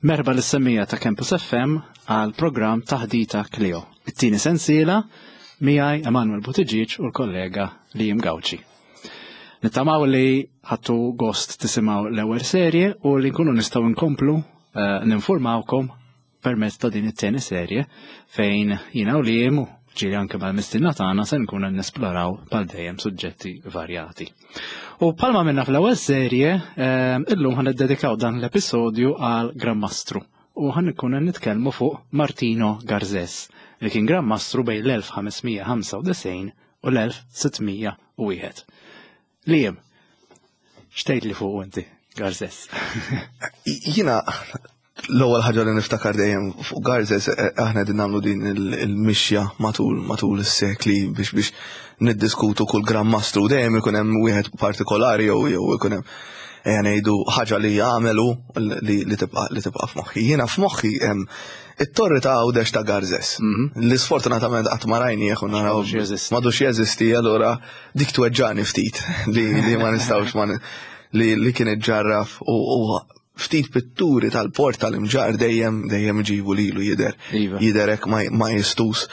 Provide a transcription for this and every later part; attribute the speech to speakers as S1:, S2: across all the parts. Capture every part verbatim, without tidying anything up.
S1: Merħba lis-semmiegħa ta' Campus F M għal programm Taħdita Clio. It-tieni sensiela miegħi Emanuel Buttigieg u l-kollega Liam Gauci. Nittamaw li ħadtu gost tisimgħu l-ewwel serje u li nkunu nistgħu nkomplu eh, ninformawkom permezz ta' din it-tieni serje fejn jiena u Liam u ġieli anke mal-mistiedna tagħna se nkunu nesploraw bħal dejjem suġġetti varjati. U bħalma għamilna fl-ewwel serje, eh, illum ħa niddedikaw dan l-episodju għal Gran Mastru u ħa nkunu nitkellmu fuq Martino Garzes li kien Gran Mastru bejn l-elf ħames mija ħamsa u disgħin u l-elf sitt mija u wieħed. Liam, x'tgħid li fuq inti, Garzes?
S2: Jiena l-ewwel ħaġa li niftakar dejjem fuq Garzes, eh, aħna qegħdin nagħmlu din il-mixja matul matul is-sekli biex biex niddiskutu kull Gran Mastru, dejjem ikun hemm wieħed partikolari jew jew ikun hemm, ejja ngħidu, ħaġa li jagħmelu li li tibqa' li tibqa' f'moħħi. Jiena f'moħħi hemm it-torri ta' Għawdex ta' Garzes. Li sfortunatament qatt ma rajnieh u naraw
S1: M'għadux jeżisti.
S2: M'għadux jeżisti, allura dik tweġġani ftit li li ma nistgħux ma li li kien iġġarraf u u ftit pitturi tal-port tal-Imġarr dejjem dejjem ġibu lilu jidher
S1: Iva.
S2: jidher hekk ma ma jistus.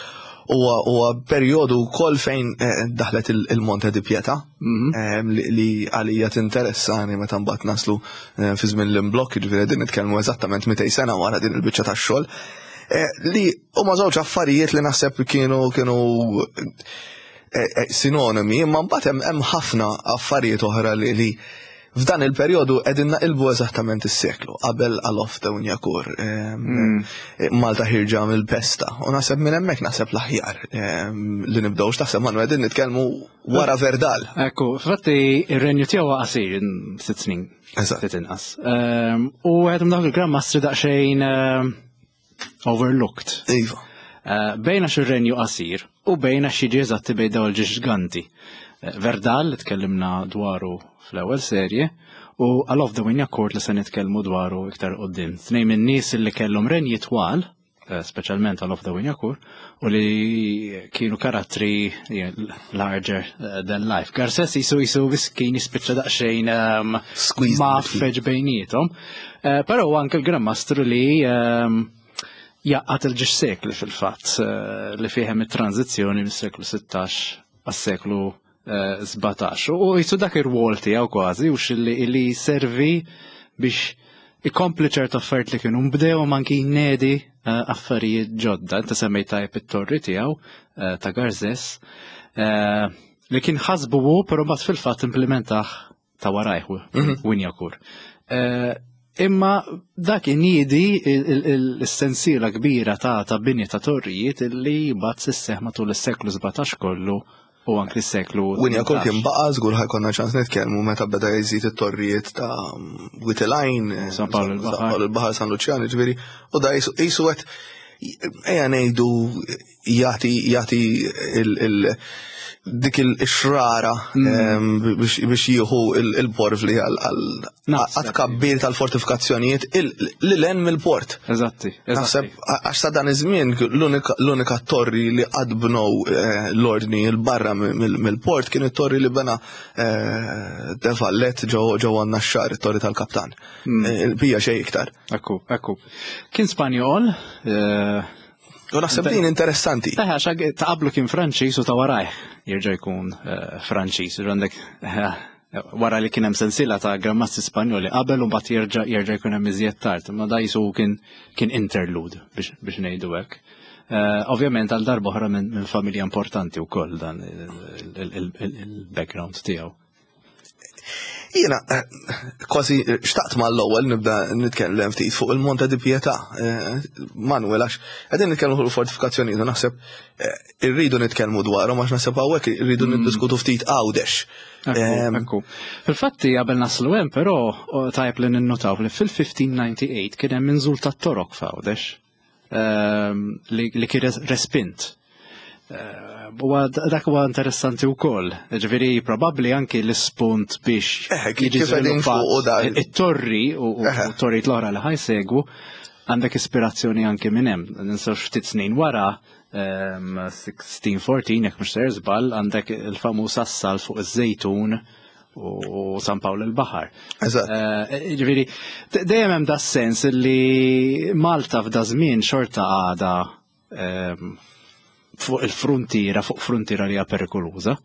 S2: Huwa huwa perjodu wkoll fejn eh, daħlet il- il-Monte di Pietà em, li li għalija tinteressani meta mbagħad naslu eh, fi żmien l-imblokk, jiġifieri din nitkellmu eżattament mitejn sena wara din il-biċċa tax-xogħol. Eh, Li huma żewġ affarijiet li naħseb kienu kienu eh, eh, sinonimi, imma mbagħad hemm hemm ħafna affarijiet oħra li li f'dan il-perjodu qegħdin naqilbu eżattament is-seklu qabel Alof de Wignacourt, Malta ħierġa mill-pesta u naħseb minn hemmhekk naħseb l-aħjar em, li nibdew. X'taħseb, Manu? Qegħdin nitkellmu wara Verdal.
S1: Ekku, fatti ir-renju tiegħu qasir, sitt snin.
S2: Eżatt.
S1: Ftit inqas. Ehm, U għed dawk il-Gran Mastri daqsxejn ehm, overlooked.
S2: Iva.
S1: Eh, Bejna ir-renju qasir u bejna xi eżatti bejn dawn il-ġiganti. Eh, Verdal li tkellimna dwaru fl-ewwel serje u Alof de Wignacourt li se nitkellmu dwaru iktar qoddim. Tnejn minn nies li kellhom renji twal, eh, speċjalment Alof de Wignacourt, u li kienu karattri eh, larger eh, than life. Garces jisu jisu kien jispiċċa daqsxejn um,
S2: Squeezed
S1: ma
S2: between.
S1: feġ bejnietom. Eh, Però anke l-Gran Mastru li ehm, jgħaqqad il-żewġ sekli fil-fatt eh, li fihem it-tranzizzjoni mis-seklu sittax għas-seklu eh, sbatax. U jisu dak ir-rwol tiegħu kważi u xilli li servi biex ikompli ċertu affarijiet li kienu mbdew u anki jnedi eh, affarijiet ġodda. Inta semmejt tajb it-torri tiegħu eh, ta' Garzes eh, li kien ħasbu hu, però mbagħad fil-fatt implementah ta' warajh Wignacourt. Eh, Imma dak inidi il-sensiela kbira ta' ta' binja ta' torrijiet li bat sisseħ matul is-seklu sbatax kollu u anki s-seklu
S2: Wignacourt kien baqa' żgur ħa jkollna ċans nitkellmu meta beda jżid it-torrijiet ta' Wied il-Għajn,
S1: San Pawl il-Baħar.
S2: San Pawl il-Baħar, San Luċjan, ġifieri, u da jisu jisu qed, ejja ngħidu, jagħti jagħti il- il- dik il-xrara em, biex biex jieħu il-porvli għal
S1: Naħseb.
S2: kabbir tal-fortifikazzjonijiet lil hemm mill-port.
S1: Eżatti,
S2: Naħseb
S1: eżatti.
S2: għax sa dan iż-żmien l-unika l-unika torri li qatt bnew eh, l-ordni 'l barra mill-port kien it-torri li bena eh, De Valette ġewwa ġewwa Naxxar, it-torri tal-kaptan. Eh, Il-bija xejn iktar.
S1: Ekku, ekku. Kien Spanjol, eh,
S2: U naħseb din interessanti.
S1: Taħ, għax ta' qablu kien Franċiż u ta' warajh jerġa' jkun eh, Franċiż. Għandek eh, wara li kien hemm sensiela ta' Gran Mastri Spanjoli qabel u mbagħad jerġa' jerġa' jkun hemm iżjed tard. Ma da jisu kien kien interlude biex biex ngħidu hekk. Eh, Ovvjament għal darba oħra minn minn familja importanti wkoll dan il-background tiegħu.
S2: Jiena eh, kważi xtaqt mal-ewwel nibda nitkellem ftit fuq il-Monte di Pietà. Eh, Manuel, għax qegħdin nitkellmu fuq il-fortifikazzjonijiet u naħseb eh, irridu nitkellmu dwarhom għax naħseb hawnhekk irridu niddiskutu ftit Għawdex.
S1: Ekku,
S2: Em,
S1: ekku. Fil-fatti qabel naslu hemm però o, tajb li ninnotaw li fil-elf ħames mija disgħa u disgħin kien hemm inżul tat-Torok f'Għawdex ehm, li, li kien res- respint. Eh, Huwa dak huwa interessanti wkoll. Ġifieri probabbli anki l-ispunt biex
S2: Eh, kif
S1: jiġi
S2: qegħdin fuq u
S1: żviluppat
S2: dan.
S1: it-torri u u
S2: Eh.
S1: torrijiet l-oħra li ħa jsegwu għandek ispirazzjoni anki minn hemm. Ninsawx ftit snin wara, ehm, elf sitt mija erbatax, jekk mhux ser żball, għandek il-famuż assalt fuq iż-Żejtun. u San Pawl il-Baħar.
S2: Eżatt.
S1: Eh, Ġifieri, dejjem hemm da sens li Malta f'da żmien xorta għada ehm, fuq il-frontiera, fuq frontiera li hija perikoluża.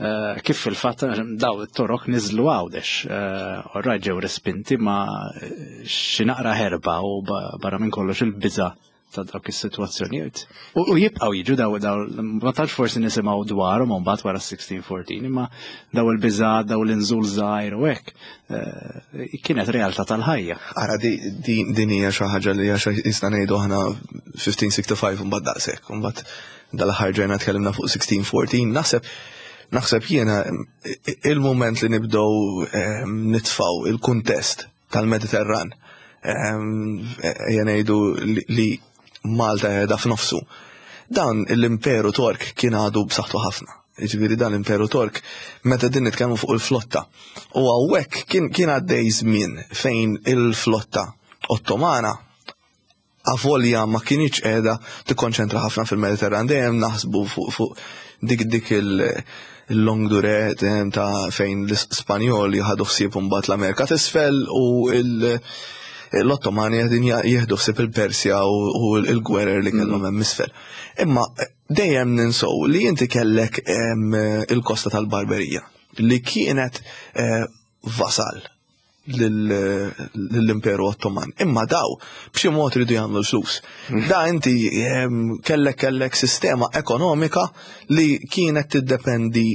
S1: Eh, Kif fil-fatt daw it-Torok niżlu Għawdex, orraj ġew respinti ma eh, xi naqra ħerba u ba- barra minn kollox il-biża ta' dawk is-sitwazzjonijiet. U u jibqgħu jiġu daw daw ma tantx forsi nisimgħu dwarhom u mbagħad wara sixteen fourteen, imma daw il-biża, daw l-inżul żgħir u hekk eh, kienet realtà tal-ħajja.
S2: Ara, di, di, din hija xi ħaġa li hija xi jista' ngħidu aħna fifteen sixty-five mbagħad daqshekk, mbagħad dal-aħħar ġejna tkellimna fuq sixteen fourteen, naħseb naħseb jiena il-moment li nibdew ehm, nitfaw il-kuntest tal-Mediterran, ehm, ejja ngħidu li- li Malta qiegħda f'nofsu. Dan l-Imperu Tork kien għadu b'saħħtu ħafna. Ġifieri dan l-Imperu Tork meta din nitkellmu fuq il-flotta. U hawnhekk kien kien għaddej żmien fejn il-flotta Ottomana avolja ma kinitx qiegħda tikkonċentra ħafna fil-Mediterran, dejjem naħsbu fuq fuq dik dik il- il-longue durée dejjem ta' fejn l-Spanjoli ħadu ħsieb mbagħad l-Amerika t'isfel u il- l-Ottomani qegħdin jieħdu ħsieb il-Persja u u l-gwerer li kellhom hemm isfel. Imma eh, dejjem ninsow li inti kellek em, il-kosta tal-Barberija li kienet eh, vasal lill-Imperu Ottoman. Imma daw, b'xi mod ridu jagħmlu l-flus. Da inti em, kellek kellek sistema ekonomika li kienet tiddependi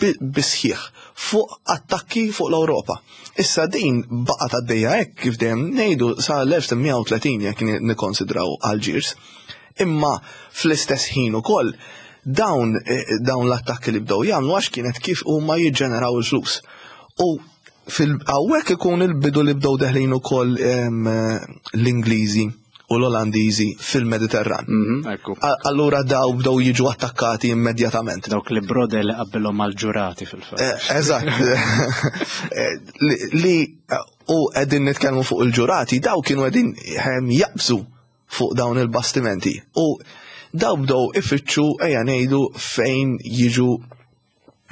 S2: bi- bisħieħ fuq attakki fuq l-Ewropa. Issa din baqgħet għaddejja hekk, kif dejjem ngħidu, sa l-elf tmien mija u tletin jekk ni- nikkonsidraw Algiers. Imma fl-istess ħin ukoll dawn eh, dawn l-attakki li bdew jagħmlu għax kienet kif huma jiġġeneraw il-flus. U fil-hawnhekk ikun il-bidu li bdew deħlin ukoll em, l-Ingliżi u l-Olandiżi fil-Mediterran.
S1: Mhm, Ekku.
S2: A- Allura daw bdew jiġu attakkati immedjatament.
S1: Dawk li brodel li qabbilhom mal-ġurati fil-fatt.
S2: Eh, Eżatt. Eh, Li li u qegħdin nitkellmu fuq il-ġurati, daw kienu qegħdin ehm, jaqbżu fuq dawn il-bastimenti. U daw bdew ifittxu, ejja ngħidu, fejn jiġu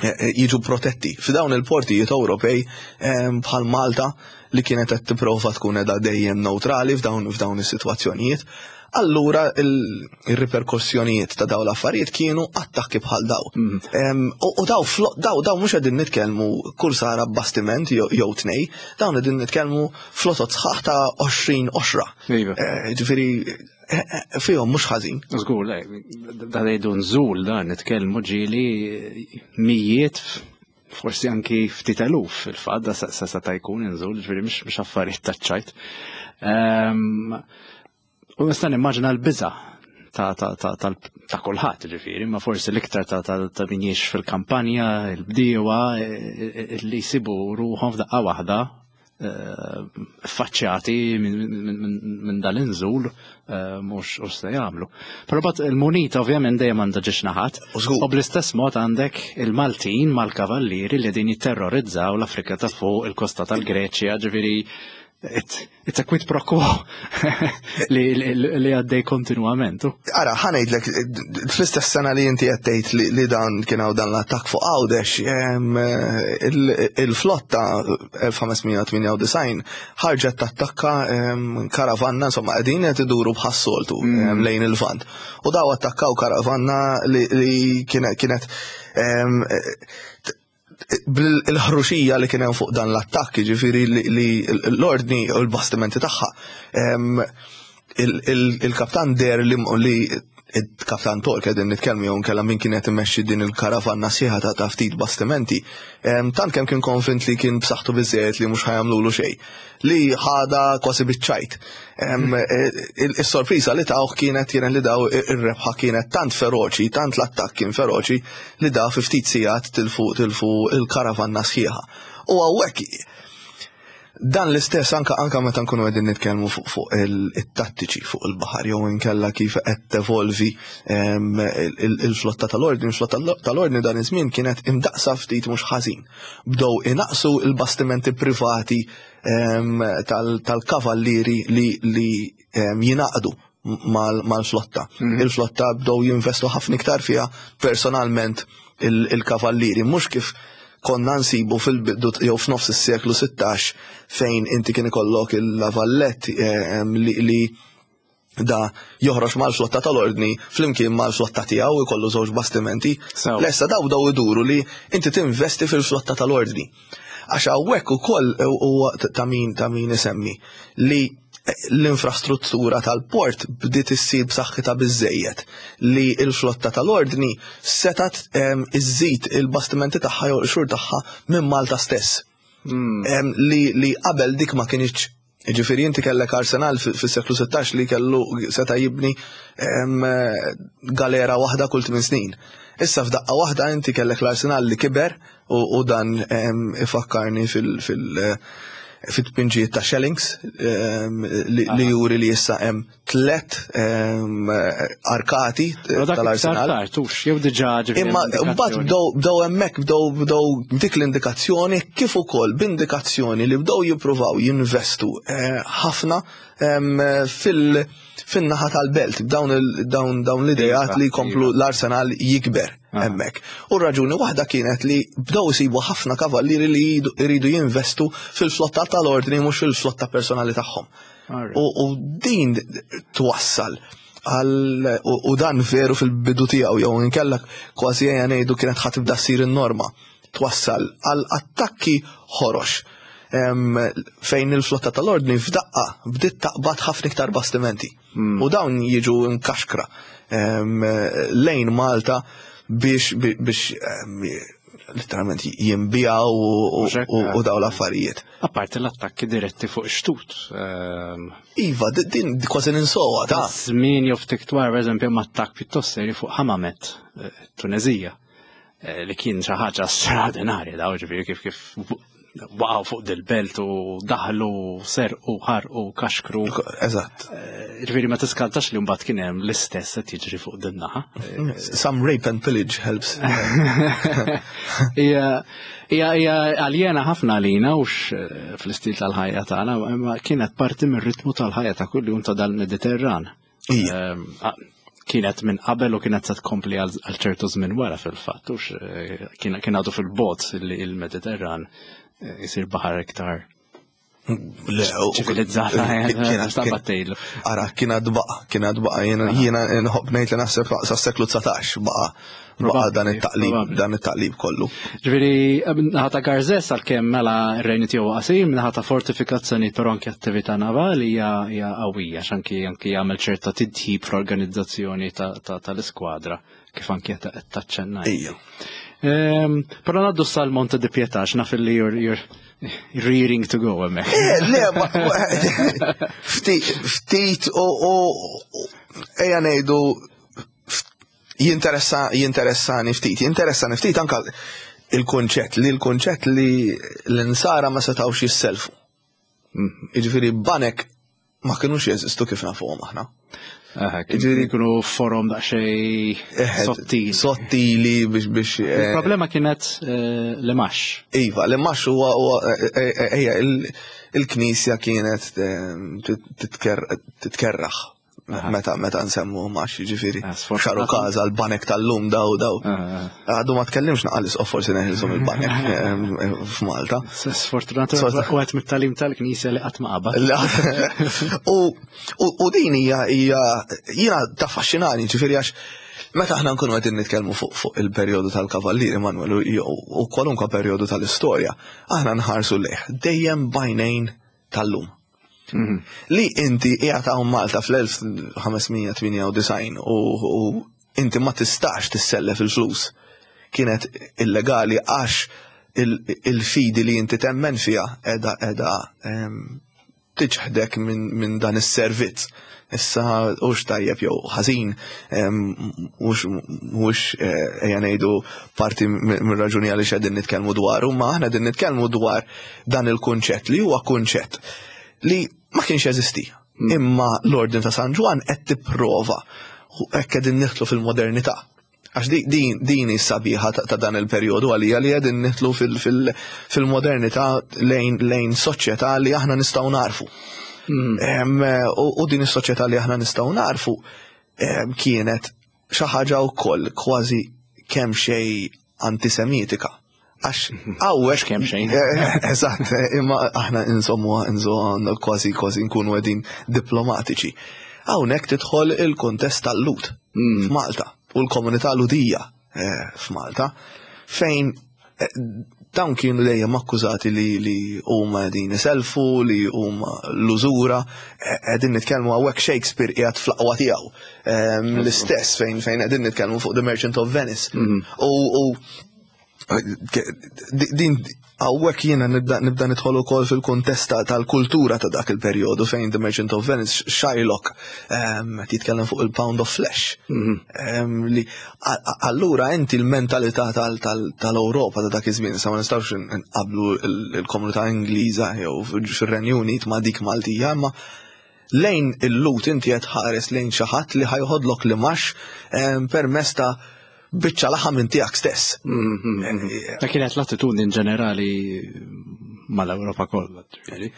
S2: eh, eh, jiġu protetti. F'dawn il-portijiet Ewropej ehm, bħal Malta li kienet qed tipprova tkun qiegħda dejjem neutrali f'dawn f'dawn is-sitwazzjonijiet. Allura il- il-riperkussjonijiet ta' daw l-affarijiet kienu attakki bħal daw. Em, U u daw flo- daw daw mhux qegħdin nitkellmu kull sara bastiment jew jew tnej, dawn qegħdin nitkellmu flotot sħaħ ta' għoxrin oxra.
S1: Iva.
S2: Eh, Ġifieri eh, eh, fihom mhux ħażin.
S1: Żgur, le, da ngħidu nżul da nitkellmu ġieli mijiet, forsi anki ftit eluf fil-fatt, da sa sa seta' jkun inżul, ġifieri mhux mhux affarijiet taċ-ċajt. Ehm, U nista' nimmaġina l-biża ta' ta' ta' tal- ta' kulħadd ġifieri, ma forsi l-iktar ta' ta' ta' min jgħix fil-kampanja, il-bdiewa, eh, eh, li jsibu ruħhom f'daqqa waħda eh, faċċjati minn min, min, min dal-inżul eh, mhux u se jagħmlu. Però bat il-munita ovvjament dejjem għandha ġiex naħat.
S2: U żgur.
S1: U bl-istess mod għandek il-Maltin mal-kavallieri li din jitterrorizzaw l-Afrika ta' fuq, il-kosta tal-Greċja, ġifieri it- it's a quid pro quo li, li, li għaddej kontinuament.
S2: Ara, ħa ngħidlek, fl-istess sena li inti qed tgħid li, li dan kien hawn dan l-attakk fuq Għawdex, em, il- il-flotta elf ħames mija tmienja u disgħin ħarġet tattakka em, karavanna, insomma, qegħdin qed iduru bħas-soltu em, lejn il-Lvant. U daw attakkaw karavanna li, li kienet kienet em, bil-ħruxija li kien hemm fuq dan l-attakk, ġifieri li, li l-ordni u l-bastimenti tagħha. em, il- il- Il-kaptan der li li il-kaptan Tork qegħdin nitkellmu jew nkella min kienet imexxi din il-karavanna sħiħa ta' ta' ftit bastimenti, em, tant kemm kien konfint li kien b'saħħtu biżejjed li mhux ħa jagħmlulu xejn, li ħada kważi biċ-ċajt. Em, il- Is-sorpriża li tawh kienet kienet li daw ir-rebħa kienet tant feroċi, tant l-attakk kien feroċi li da fi ftit sigħat tilfu tilfu il-karavanna sħiħa. U hawnhekk dan l-istess anka anka meta nkunu qegħdin nitkellmu fuq fuq il-tattiċi fuq il-baħar jew inkella kif qed tevolvi em, il- il-flotta tal-ordni, il-flotta tal-ordni dan iż-żmien kienet imdaqsa ftit mhux ħażin. Bdew inaqsu il-bastimenti privati em, tal- tal-kavallieri li li em, jingħaqdu mal- mal-flotta. Il-flotta bdew jinvestu ħafna iktar fiha personalment il- il-kavallieri, mhux kif konna nsibu fil-bidu jew f'nofs is-seklu sittax fejn inti kien ikollok il-La Valette eh, li, li da joħroġ mal-flotta tal-ordni flimkien mal-flotta tiegħu, ikollu żewġ bastimenti.
S1: Sew.
S2: Lesta daw daw iduru li inti tinvesti fil-flotta tal-ordni. Għax hawnhekk ukoll huwa ta' min ta' min isemmi li l-infrastruttura tal-port bdiet issir b'saħħitha biżejjed li l-flotta tal-ordni setat em, iżżid il-bastimenti tagħha jew l-xur tagħha minn Malta stess. Em, li, li qabel dik ma kienx. Ġifieri inti kellek arsenal fi- fis-seklu sittax li kellu seta' jibni em, galera waħda kull tmien snin. Issa f'daqqa waħda inti kellek l-arsenal li kiber u, u dan em, ifakkarni fil- fil- fit-tpinġijiet ta' Schellings em, li, li juri li issa hemm tlet em, arkati
S1: Però dak iktar
S2: tal-arsenal.
S1: tard, hux, jew diġà ġifieri
S2: Imma mbagħad
S1: indikazzjoni.
S2: bdew bdew hemmhekk bdew bdew dik l-indikazzjoni kif ukoll b'indikazzjoni li bdew jippruvaw jinvestu eh, ħafna em, fil fin-naħa tal-belt, dawn il- dawn dawn l-idejat
S1: Iva,
S2: li jkomplu
S1: iva.
S2: l-arsenal jikber
S1: Ah.
S2: hemmhekk. U r-raġuni waħda kienet li bdew isibu ħafna kavallieri li jridu- jridu jinvestu fil-flotta tal-ordni, mhux fil-flotta personali tagħhom.
S1: Alright.
S2: U, u din twassal għal u, u dan veru fil-bidu tiegħu jew inkella kważi ejja ngħidu kienet ħa tibda ssir in-norma. Twassal għal attakki ħorox em, fejn il-flotta tal-ordni f'daqqa bdiet taqbad ħafna iktar bastimenti. U dawn jiġu nkaxkra em, lejn Malta biex biex em, literalment jinbijaw u, u,
S1: Mhux hekk?
S2: u, u daw l-affarijiet.
S1: Apparti l-attakki diretti fuq ix-xtut. Ehm,
S2: Iva, di- din kważi ninsowa ta'
S1: Żmien jew ftit wara, pereżempju, hemm attakk pjuttost serju fuq Hamamet, eh, Tunezija, eh, li kien xi ħaġa straordinarja daw, ġifieri kif kif waqgħu fuq dil-belt u daħlu, serqu, ħarqu, kaxkru.
S2: Eżatt.
S1: Eh, Ġifieri ma tiskantax li mbagħad kien hemm l-istess qed jiġri fuq din naħa.
S2: Some rape and pillage helps.
S1: Hija hija hija aljena ħafna għalina ux eh, fl-istil tal-ħajja tagħna, imma kienet parti mir-ritmu tal-ħajja ta' kuljum ta' dal-Mediterran.
S2: Ija.
S1: Ehm, a- Kienet minn qabel u kienet se tkompli għal għal ċertu żmien wara fil-fatt, ux eh, kien kien għadu fil-bot li il-Mediterran eh, jisir baħar iktar
S2: Le, u-
S1: ċivilizzata, eh,
S2: kienet-
S1: stabba tgħidlu.
S2: Ara, kien għad baqa, kien għad baqa, jiena jiena nħobb ngħid li naħseb sa seklu dsatax baqa baqa dan
S1: Probabbli,
S2: it-taqlib,
S1: probabbli.
S2: dan it-taqlib kollu.
S1: Ġifieri, naħa ta' Garzes għalkemm mela r-renju tiegħu qasir, naħa ta' fortifikazzjoni, però anke attività navali hija hija qawwija, x'anki anki jagħmel ċerta tidjib fl-organizzazzjoni ta- ta- tal-iskwadra kif anki qed qed taċċennaj.
S2: Ija.
S1: Ehm, Però ngħaddu sal-Monte di Pietà, naf li you're, you're rearing to go hemmhekk.
S2: Eh, le, ma ma- ftit, ftit u u ejja ngħidu jinteressa jinteressani ftit, jinteressani ftit anka il-konċett li l-konċett li l-insara ma setawx jisselfu. Jiġifieri banek ma kinux jeżistu kif nafuhom aħna.
S1: Aha,
S2: Ġifieri-
S1: Kienu forom daqsxejn
S2: Eħe,
S1: sottili.
S2: Sottili biex biex eh,
S1: Il-problema kienet eh, l-imgħax.
S2: Iva, l-imgħax huwa huwa eh, eh, ejja il- il-Knisja kienet eh, titker- titkerraħ meta meta nsemmu imgħax, ġifieri.
S1: Ah, sfortunatament.
S2: Xaru kaza l-banek tal-lum daw daw.
S1: Ah,
S2: Għadu ma tkellimx naqal isqof forsi neħilsu mill-banek eh, f'Malta.
S1: Sfortunatament u għet mit-talim tal-Knisja li qatt ma qabad.
S2: U u- u din hija hija jiena taffaxxinani, ġifieri, għax meta aħna nkunu qegħdin nitkellmu fuq fuq il-perjodu tal-Kavallieri Manuel u u kwalunkwe perjodu tal-istorja, aħna nħarsu lejh dejjem b'għajnejn tal-lum. Li inti qiegħed hawn Malta fl-elf ħames mija tmienja u disgħin u u inti ma tistax tissellef il-flus. Kienet illegali għax il- il-fidi li inti temmen fiha edha edha em, tiċħdek minn min dan is-servizz. Issa hux tajjeb jew ħażin, em, mhux mhux eh, ejja ngħidu parti mir raġuni għaliex qegħdin nitkellmu dwaru, ma aħna qegħdin nitkellmu dwar dan il-kunċett li huwa kunċett li ma kienx jeżisti. Imma l-Ordin ta' San Ġwann qed tipprova u hekk qegħdin nidħlu fil-modernità. Għax di- din din is-sabiħa ta' ta' dan il-perjodu għalija li qegħdin nidħlu fil- fil- fil-modernità lejn lejn soċjetà li aħna nistgħu narfu. Em, U u din is-soċjetà li aħna nistgħu narfu em, kienet xi ħaġa wkoll kważi kemm xejn antisemitika. Għax hawnhekk
S1: kemm xejn.
S2: Eżatt, imma aħna insomma insomma kważi kważi nkunu qegħdin diplomatiċi. Hawnhekk tidħol il-kuntest tal-Lhud
S1: Mm.
S2: f'Malta u l-komunità Lhudija eh, f'Malta fejn eh, dawn kienu dejjem akkużati li li huma qegħdin iselfu, li huma l-użura, eh, qegħdin nitkellmu hawnhekk Shakespeare qiegħed fl-aqwa tiegħu. Ehm, L-istess fejn fejn qegħdin nitkellmu fuq The Merchant of Venice. U u din hawnhekk jiena nibda nibda nidħol ukoll fil-kuntest ta- tal-kultura ta' dak il-perjodu fejn The Merchant of Venice, Shylock ehm, qed jitkellem fuq il-pound of flesh. Ehm, li a- a- allura inti l-mentalità tal- tal- tal-Ewropa ta' dak iż-żmien, sa ma nistgħux nqablu il- il-komunità Ingliża jew fir-Renju Unit ma' dik Maltija, imma lejn il-Lhud inti qed ħares lejn xi ħadd li ħa joħodlok l-imgħax ehm, permezz ta' biċċa laħam minn tiegħek stess.
S1: Ta' kienet l-attitudni in ġenerali mal-Ewropa kollha. ġifieri.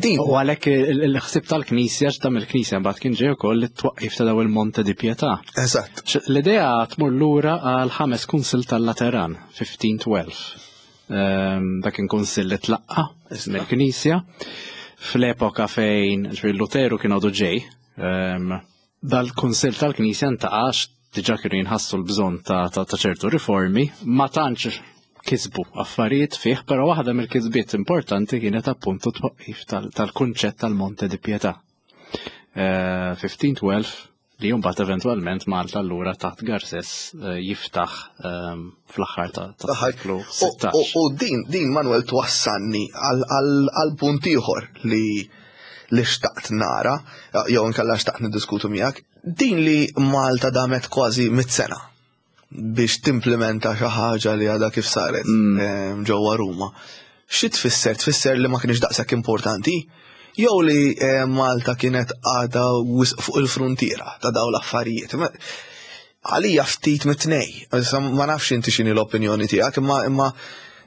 S2: Din
S1: U għalhekk il-ħsieb tal-Knisja, x'tam il-Knisja mbagħad kien ġej ukoll it-twaqqif ta' daw il-Monte di Pietà.
S2: Eżatt.
S1: L-idea tmur lura għal ħames kunsil tal-Lateran, fifteen twelve. Ehm, Dak kien kunsil li tlaqqa mill-Knisja fl-epoka fejn ġifieri Luteru kien għadu ġej. ehm, Dal-kunsil tal-Knisja ntaqax diġà kienu jinħassu l-bżonn ta' ta' ta' ċertu riformi, ma tantx kisbu affarijiet fih, però waħda mill-kisbiet importanti kienet appuntu twaqqif tal- tal-kunċett tal-Monte di Pietà. Eh, fifteen twelve li mbagħad eventwalment Malta allura taħt Garces eh, jiftaħ ehm, fl-aħħar ta' ta' seklu
S2: U-
S1: sittax.
S2: U u din, din Manuel twassalni għal- għal għal punt ieħor li li xtaqt nara, jew inkella xtaqt niddiskutu miegħek, din li Malta damet kważi mit sena biex timplementa xi ħaġa li għadha kif saret em, ġewwa Ruma. Xi tfisser? Tfisser li ma kienx daqshekk importanti? Jew li eh, Malta kienet għadha wisq fuq il-frontiera ta' dawn l-affarijiet? Ma- Għalija ftit mit-tnej. Issa ma nafx inti x'inhi l-opinjoni tiegħek, imma imma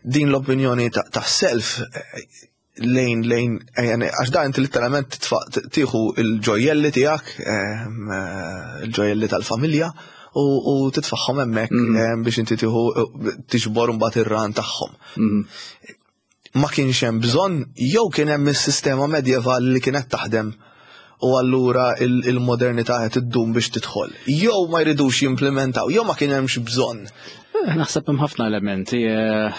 S2: din l-opinjoni ta' ta' self eh, lejn lejn eh, għax da inti literalment titfa' tieħu il-ġojjelli tiegħek, ehm, eh, il-ġojjelli tal-familja u, u titfaħħom hemmhekk ehm, biex inti tieħu tiġbor mbagħad ir-ran tagħhom. Ma kienx hemm bżonn jew kien hemm is-sistema medjevali li kienet taħdem u allura il- il-modernità qed iddum biex tidħol? Jew ma jridux jimplementaw, jew ma kien hemmx bżonn.
S1: Eh, Naħseb hemm ħafna elementi. eh,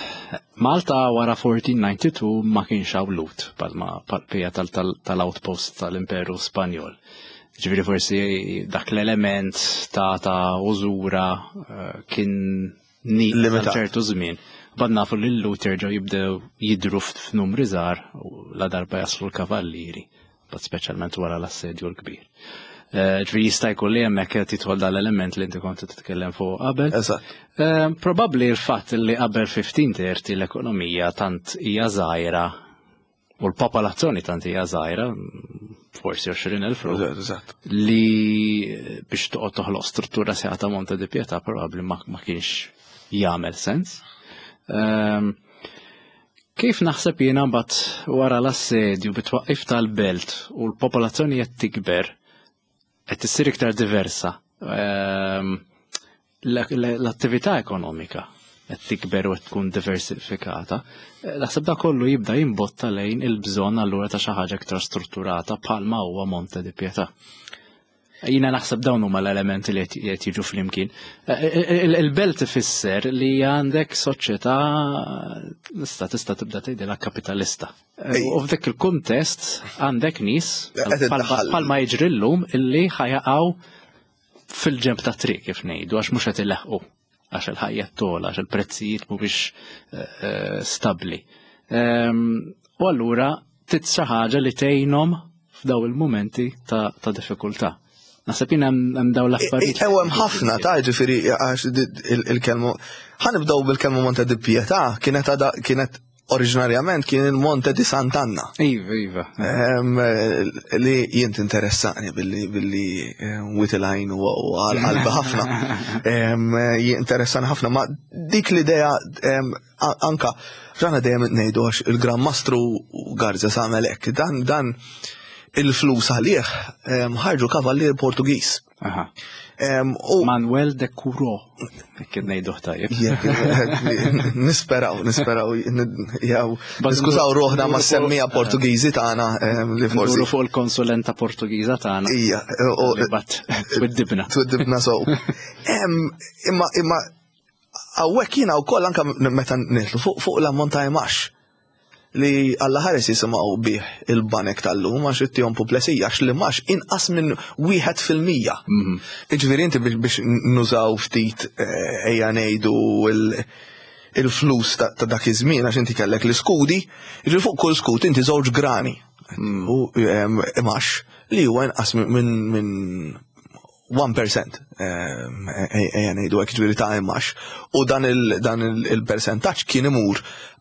S1: Malta wara fourteen ninety-two ma kienx hawn Lhud palma pija tal-outpost tal-Imperu Spanjol. Ġifieri forsi dak l-element ta' ta' użura eh, kien ni
S2: Limitat.
S1: ċertu żmien. Bad nafu li l-Lhud jerġgħu jibdew jidru f'numri żgħar u la darba jaslu l-kavallieri, bad speċjalment wara l-assedju l-kbir. Eh, Ġifieri jista' jkun li hemmhekk qed jidħol dal-element li inti kont titkellem fuq qabel.
S2: Eżatt.
S1: Eh, Probabbli l-fatt li qabel fifteen thirty l-ekonomija tant hija żgħira u l-popolazzjoni tant hija żgħira, forsi għoxrin elf ruħ,
S2: Eżatt, eżatt.
S1: li biex toqgħod toħloq struttura seħa ta' Monte di Pietà probabbli ma, ma kienx jagħmel sens. Um, kif naħseb jiena mbagħad wara l-assedju bit-twaqqif tal-belt u l-popolazzjoni qed tikber, qed issir iktar diversa. Um, l-attività ekonomika qed tikber u qed tkun diversifikata. Eh, Naħseb da kollu jibda jimbotta lejn il-bżonn allura ta' xi ħaġa iktar strutturata bħalma huwa Monte di Pietà. Jina naħseb dawn huma l-elementi li qed jiġu flimkien. Eh, il- Il-belt ifisser li għandek soċjetà tista' tista' tibda tgħidilha kapitalista. Eh, U f'dik il-kuntest għandek nies
S2: Qed iddaħħal.
S1: bħalma jiġri llum illi ħa jaqgħu fil-ġemb ta' triq kif ngħidu għax mhux qed ileħqu, għax il-ħajja togħla, għax il-prezzijiet mhumiex eh, eh, stabbli. Ehm, U allura trid xi ħaġa li tgħinhom f'daw il-momenti ta' ta' diffikultà. Naħseb jien hemm hemm dawn l-affarijiet.
S2: Ew hemm ħafna ta' ġifieri għax di- il- il-kelmu. Ħa nibdew bil-kelma Monte di Pietà, kienet għada kienet oriġinarjament kien il-Monte di Sant'Anna.
S1: Iva, iva.
S2: Em, li jint interessani billi billi witilajn u għal-qalbi ħafna. Em, Jinteressani ħafna, ma dik l-idea em, a- anka ġana dejjem ngħidu għax il-Gran Mastru Garza għamel hekk, dan dan il-flus għalih em, ħarġu kavallier Portugiż.
S1: Aha.
S2: U
S1: Manuel de Curo, kien ngħidu tajjeb.
S2: Nisperaw, nisperaw, jew niskużaw ruħna ma' semmija Portugiżi tagħna li forsi.
S1: Fuq il-konsulenta Portugiża tagħna.
S2: Ija,
S1: twiddibna.
S2: Twiddibna so. Imma imma hawnhekk jiena wkoll anke meta nitlu fuq l-ammont ta' imax li Alla ħares jisimgħu bih il-banek tal-lum għax ittihom puplesija għax li max inqas minn wieħed fil-mija. Iġifieri inti biex nużaw ftit ejja ngħidu il-flus ta' dak iż-żmien għax inti kellek l-iskudi, jiġifieri fuq kull skud inti żewġ grani. U imax li huwa inqas minn one percent ejja ngħidu hekk, ġifieri ta' imax. U dan il-percentaġġ kien imur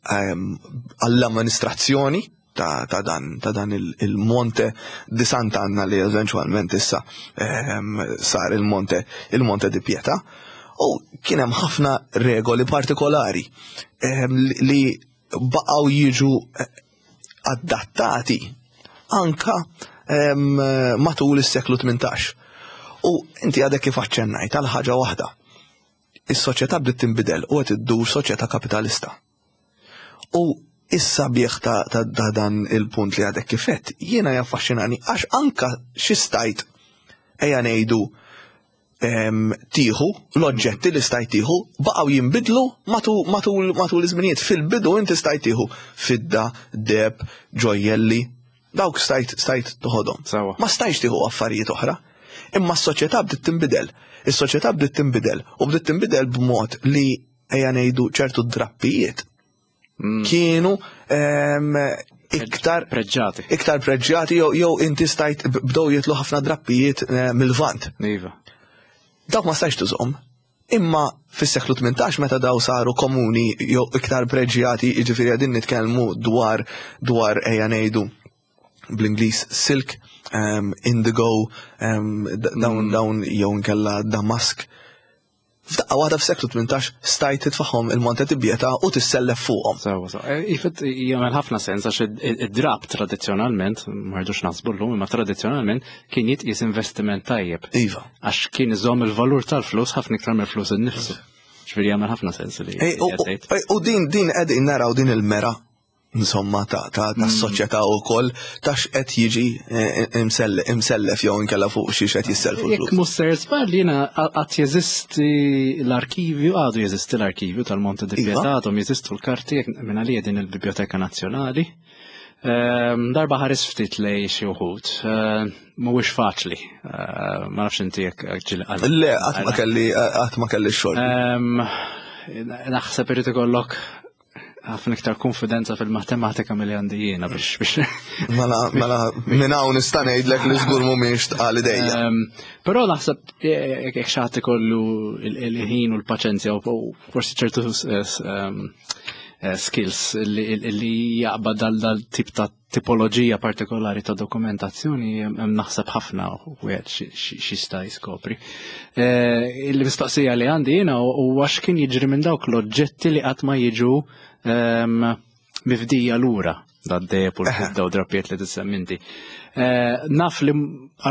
S2: għall-amministrazzjoni ta' dan ta' dan il-Monte di Sant'Anna li eventualment issa sar il-Monte il-Monte di Pietà. U kien hemm ħafna regoli partikolari li baqgħu jiġu adattati anka matul is-seklu tmintax. U inti għadek kif aċċennajt għal ħaġa waħda. Is-soċjetà bdiet tinbidel u qed iddur soċjetà kapitalista. U issa bieħ ta' dan il-punt li għadek kifet, jiena jaffaxxinani għax anka xi stajt ejja ngħidu tieħu, l-oġġetti li stajt tieħu baqgħu jinbidlu matul matul iż-żminijiet. Fil-bidu inti stajt tieħu fidda, deb, ġojjelli, dawk stajt stajt toħodhom. Ma stajtx tieħu affarijiet oħra. Imma s-soċjetà bdiet tinbidel. Is-soċjetà bdiet tinbidel u bdiet tinbidel b'mod li ejja ngħidu ċertu drappijiet kienu iktar
S1: preġġati.
S2: Iktar preġġati jew inti stajt bdew jitlu ħafna drappijiet mill-Lvant.
S1: Iva.
S2: Dawk ma stajtx tużhom. Imma fis-seklu tmintax meta daw saru komuni jew iktar preġġjati, jiġifieri qegħdin nitkellmu dwar dwar ejja ngħidu bl-Ingliż silk, um, indigo, um, dawn dawn jew inkella damask. F'daqqa waħda f'seklu tmintax stajt titfaħħom il-Monte di Pietà u tissellef fuqhom.
S1: Sewa, sewa. Ifet jagħmel ħafna sens għax id-drab tradizzjonalment, ma rridux naħsbu llum, imma tradizzjonalment kien jitqies investiment tajjeb.
S2: Iva.
S1: Għax kien iżomm il-valur tal-flus ħafna iktar mill-flus innifsu. Ġifieri jagħmel ħafna sens li
S2: U din din qegħdin naraw din il-mera insomma ta' ta' ta' soċjetà wkoll ta' x'qed jiġi imsellef jew inkella fuq xi x'qed jisselfu
S1: l-flus. Jekk mhux ser żball jiena qatt jeżisti l-arkivju, għadu jeżisti l-arkivju tal-Monte di Pietà, għadhom jeżistu l-karti minn għalija din il-Biblioteka Nazzjonali. Darba ħares ftit lej xi wħud, mhuwiex faċli, ma nafx inti jekk ġieli
S2: qal. Le, qatt ma kelli qatt ma kelli x-xogħol.
S1: Naħseb irid ikollok ħafna iktar konfidenza fil-matematika milli għandi jiena biex biex.
S2: Mela, mela, minn hawn nista' ngħidlek li żgur mhumiex tqal idejja.
S1: Però naħseb jekk xi ħadd ikollu il-ħin u l-paċenzja u forsi ċertu skills li jaqbad dal tip ta' tipoloġija partikolari ta' dokumentazzjoni, hemm naħseb ħafna wieħed xi sta jiskopri. Il-mistoqsija li għandi jiena huwa x'kien jiġri minn dawk l-oġġetti li qatt ma jiġu mifdija lura dad-deb u l-fidda u drappijiet li tissemmi inti. Naf li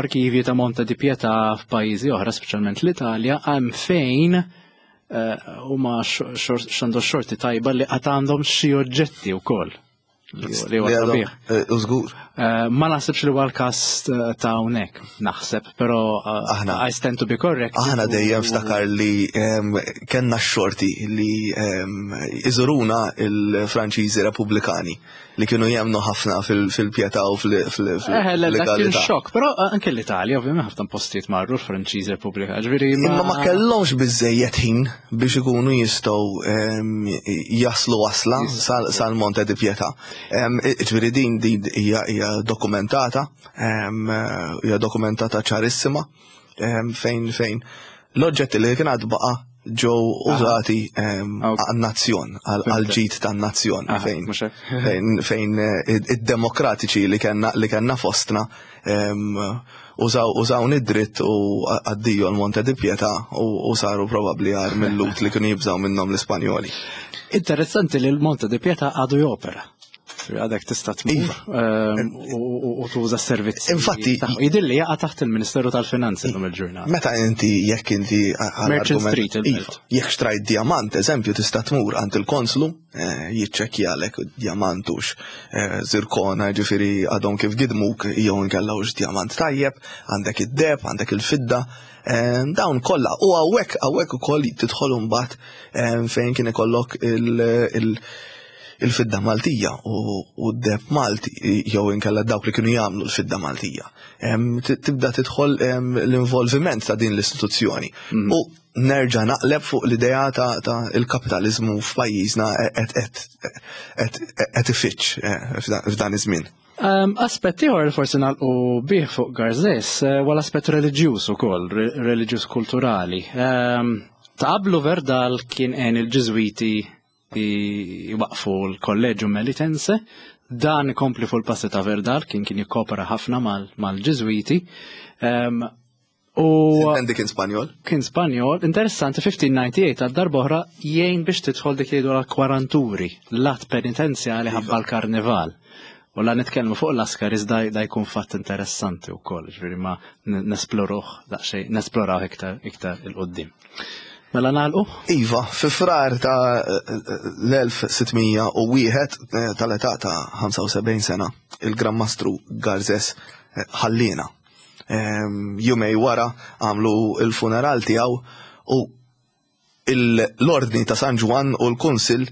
S1: arkivji ta' Monte di Pietà f'pajjiżi oħra, speċjalment l-Italja, hemm fejn huma x'għandu xorti tajba li qatt għandhom xi oġġetti wkoll. Li huwa sabiħ.
S2: Użgur.
S1: Ma naħsibx li huwa l-każ ta' hawnhekk, naħseb, però I stand to be correct.
S2: Aħna dejjem ftakar li kellna x-xorti li iżuruna il-Franċiżi Repubblikani li kienu jemnu ħafna fil-pjetà u
S1: fil-legalità. Kien xokk, però anke l-Italja, ovvjament ħafna postijiet marru l-Franċiżi Repubblikani. Ġifieri
S2: Imma ma kellhomx biżejjed ħin biex ikunu jistgħu jaslu wasla sal-Monte di Pietà. Ġifieri din din hija dokumentata, hija dokumentata ċarissima fejn fejn l-oġġetti li kien għad baqa' ġew użati għan-nazzjon, għal-ġid tan-nazzjon, fejn fejn id-demokratiċi li kellna li kellna fostna użaw użaw id-dritt u għaddiju l-Monte di Pietà u saru probabbli għar mill-lut li kienu jibżaw minnhom l-Ispanjoli.
S1: Interessanti li l-Monte di Pietà għadu jopera. Għadek tista' tmur
S2: Iva.
S1: ehm, u u- u tuża s-servizzi.
S2: Infatti-
S1: tagħhom. Jidhirli jaqa' taħt il-Ministeru tal-Finanzi llum il-ġurnata.
S2: Meta inti jekk inti għal
S1: Merchant
S2: argument-
S1: Street, il-belt.
S2: Iva, jekk xtrajt diamant, eżempju, tista' tmur għand il-konslu, eh, jiċċekkjalek diamantux eh, zirkona, ġifieri għadhom kif gidmuk jew inkella hux diamant tajjeb, għandek id-deheb, għandek il-fidda, eh, dawn kollha. U hawnhekk hawnhekk ukoll tidħol imbagħad eh, fejn kien ikollok il- il- il-fidda Maltija u u d-deheb Malti jew inkella dawk li kienu jagħmlu l-fidda Maltija. Em, t- Tibda tidħol em, l-involviment ta' din l-istituzzjoni. U nerġa' naqleb fuq l-idea ta' ta' il-kapitalizmu f'pajjiżna qed qed qed qed ifiċċ eh, f'dan- f'dan iż-żmien.
S1: Um, aspett ieħor li forsi nagħlqu bih fuq Garzes eh, huwa l-aspett reliġjuż ukoll, re- reliġjuż kulturali. Um, ta' qablu Verdal kien għen il-Ġiżwiti jwaqfu l-Kolleġju Melitense, dan ikompli fuq il-passi ta' Verdal, kien kien jikkopera ħafna mal- mal-Ġiżwiti. Um, u
S2: Intendi kien Spanjol?
S1: Kien Spanjol, interessanti, fifteen ninety-eight għal darb'oħra jgħin biex tidħol dik li jgħidu l-kwaranturi, l-att penitenzjali ħabba l-karnival. U la nitkellmu fuq l-Askaris da, da jkun fatt interessanti wkoll, ġifieri ma n- nesploruh daqsxejn, nesploraw iktar iktar 'il quddiem. Mela nagħlqu?
S2: Iva, fi Frar ta' l-elf sitt mija u wieħed eh, tal-età ta' ħamsa u sebgħin sena, il-Gran Mastru Garzes eh, ħallina. Em, Jumejn wara għamlu il-funeral tiegħu u l-Ordni ta' San Ġwann u l-Kunsil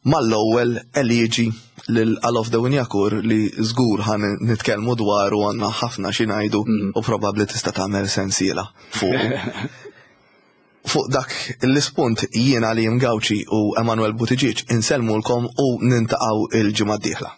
S2: mal-ewwel eliġi lil Alof de Wignacourt, li żgur ħa nitkellmu dwar u għandna ħafna xi ngħidu u probabbli tista' tagħmel sensiela fuq. Fuq dak l-ispunt jiena li Gawċi u Emanuel Buttigieg insellmulkom u niltaqgħu il-ġimgħa d-dieħla.